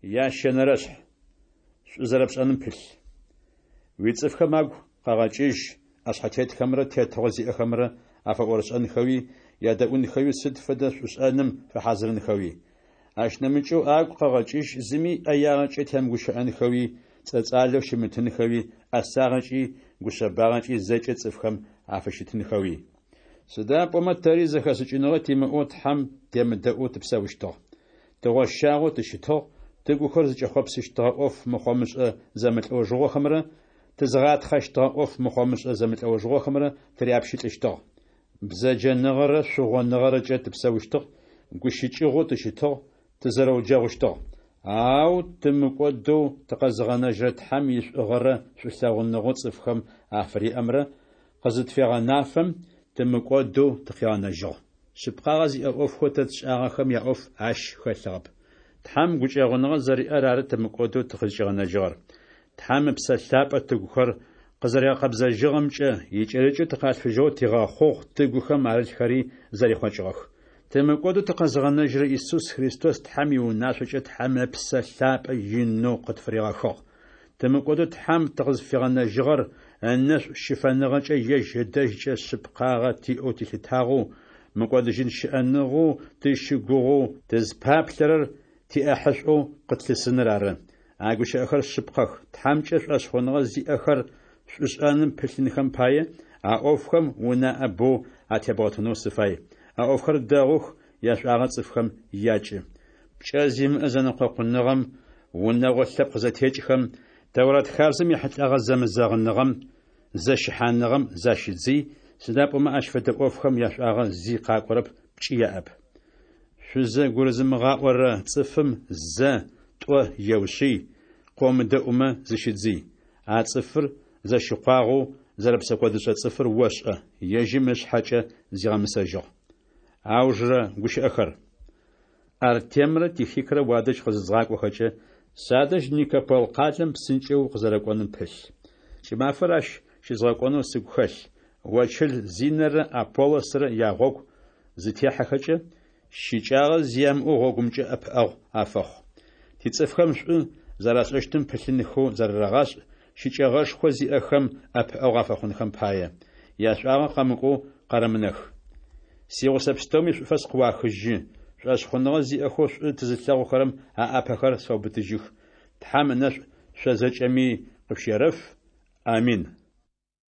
Ящэнэрэшъхь. Шӏу зэрэпшӏэным пылъ. Уицӏыфхэм агу къэгъэкӏыжь ӏэшъхьэтетхэмрэ тетыгъо зиӏэхэмрэ афэӏорышӏэнхэуи, ядэӏунхэуи, сыд фэдэ шӏушӏэным фэхьазырынхэуи. Ащ нэмыкӏэу агу къэгъэкӏыжь зыми ӏэягъэкӏэ темыгущыӏэнхэуи, цӏэцӏалэу щымытынхэуи, ӏэсагъэкӏи гушъэбагъэкӏи зэкӏэ цӏыфхэм афыщытынхэуи. Сыда пӏомэ тэри зэхэшӏыкӏыныгъэ тимыӏэу Тхьэм темыдэӏоу тыпсэущтыгъ. Тыгъощагъэу тыщытыгъ, тыгухэр зыкӏэхъопсыщтыгъэ ӏоф мыхъомышӏэ зэмылӏэужыгъохэмрэ тызыгъатхъэщтыгъэ ӏоф мыхъомышӏэ зэмылӏэужыгъохэмрэ тыряпщылӏыщтыгъ. Бзэджэныгъэрэ шъугъоныгъэрэкӏэ тыпсэущтыгъ, гущыкӏыгъоу тыщытыгъ, тызэрэуджэгъущтыгъ. Ау тымыкӏодэу тыкъэзыгъэнэжьырэ Тхьэм ишӏугъэрэ шӏулъэгъуныгъэу цӏыфхэм афыриӏэмрэ къызытфегъэнафэм, тымыкӏодэу тыкъигъэнэжьыгъ. Шъыпкъагъэ зиӏэ ӏофхэу тэ тшӏагъэхэм яӏоф ащ хэлъыгъэп. Тхьэм гукӏэгъуныгъэ зэриӏэр ары тымыкӏодэу тыкъызкӏигъэнэжьыгъэр. Тхьэм Ыпсэ Лъапӏэ тыгухэр къызэригъэкъэбзэжьыгъэмкӏэ икӏэрыкӏэу тыкъалъфыжьыгъэу тигъэхъугъ, тыгухэм арылъхэри зэрихъокӏыгъэх. Тымыкӏодэу тыкъэзыгъэнэжьырэ Исус Христос Тхьэм иунашъокӏэ Тхьэм Ыпсэ Лъапӏэ инэу къытфыригъэхыгъ. Тымыкӏодэу Тхьэм тыкъызфигъэнэжьыгъэр ынэшӏу щыфэныгъэкӏэ ежь ыдэжькӏэ шъыпкъагъэ тиӏэу тилъытагъэу, мыкӏодыжьын щыӏэныгъэу тыщыгугъэу тызпаплъэрэр тиӏэхьышӏоу къытлъысыныр ары. А гущыӏэхэр шъыпкъэх. Тхьэмкӏэ шӏошъхъуныгъэ зиӏэхэр шӏушӏэным пылъынхэм пае, а ӏофхэм унаӏэ боу атебгъэтынэу сыфай. А ӏофхэр дэгъух, яшӏуагъэ цӏыфхэм якӏы. Пкӏэ зимыӏэ зэнэкъокъуныгъэм, унэгъо лъэпкъ зэтекӏхэм, Тэурат хабзэм ехьылӏэгъэ зэмызэгъыныгъэм, зэщыхьаныгъэм защыдзый, сыда пӏомэ ащ фэдэ ӏофхэм яшӏуагъэ зи къакӏорэп, пкӏи яӏэп. Шъузэгурызымыгъаӏорэ цӏыфым зэ, тӏо еушъый, къыомыдэӏумэ, зыщыдзый. А цӏыфыр зэщыкъуагъэу зэрэпсэкӏодышӏэ цӏыфыр ошӏэ, ежьым ышъхьэкӏэ зигъэмысэжьыгъ. Аужырэ гущыӏэхэр. Артемрэ Тихикрэ уадэжь къызызгъакӏохэкӏэ, садэжь Никопол къалэм псынкӏэу укъызэрэкӏоным пылъ. Кӏымафэр ащ щызгъэкӏонэу сыгу хэлъ. Очыл Зинэрэ Аполлосрэ ягъогу зытехьэхэкӏэ, щыкӏагъэ зи ямыӏэу гъогумкӏэ ӏэпыӏэгъу афэхъу. Тицӏыфхэм шӏу зэрашӏэщтым пылъынхэу зарарэгъашӏ, щыкӏэгъэшхо зиӏэхэм ӏэпыӏэгъу афэхъунхэм пае, яшӏуагъэ къэмыкӏоу къэрэмынэх. Сигъусэ пстэуми шӏуфэс къыуахыжьы, шӏошъхъуныгъэ зиӏэхэу шӏу тызылъэгъухэрэм аӏапэхэр сфэубытыжьых. Тхьэм ынэшӏу шъо зэкӏэми къышъущерэф. Амин.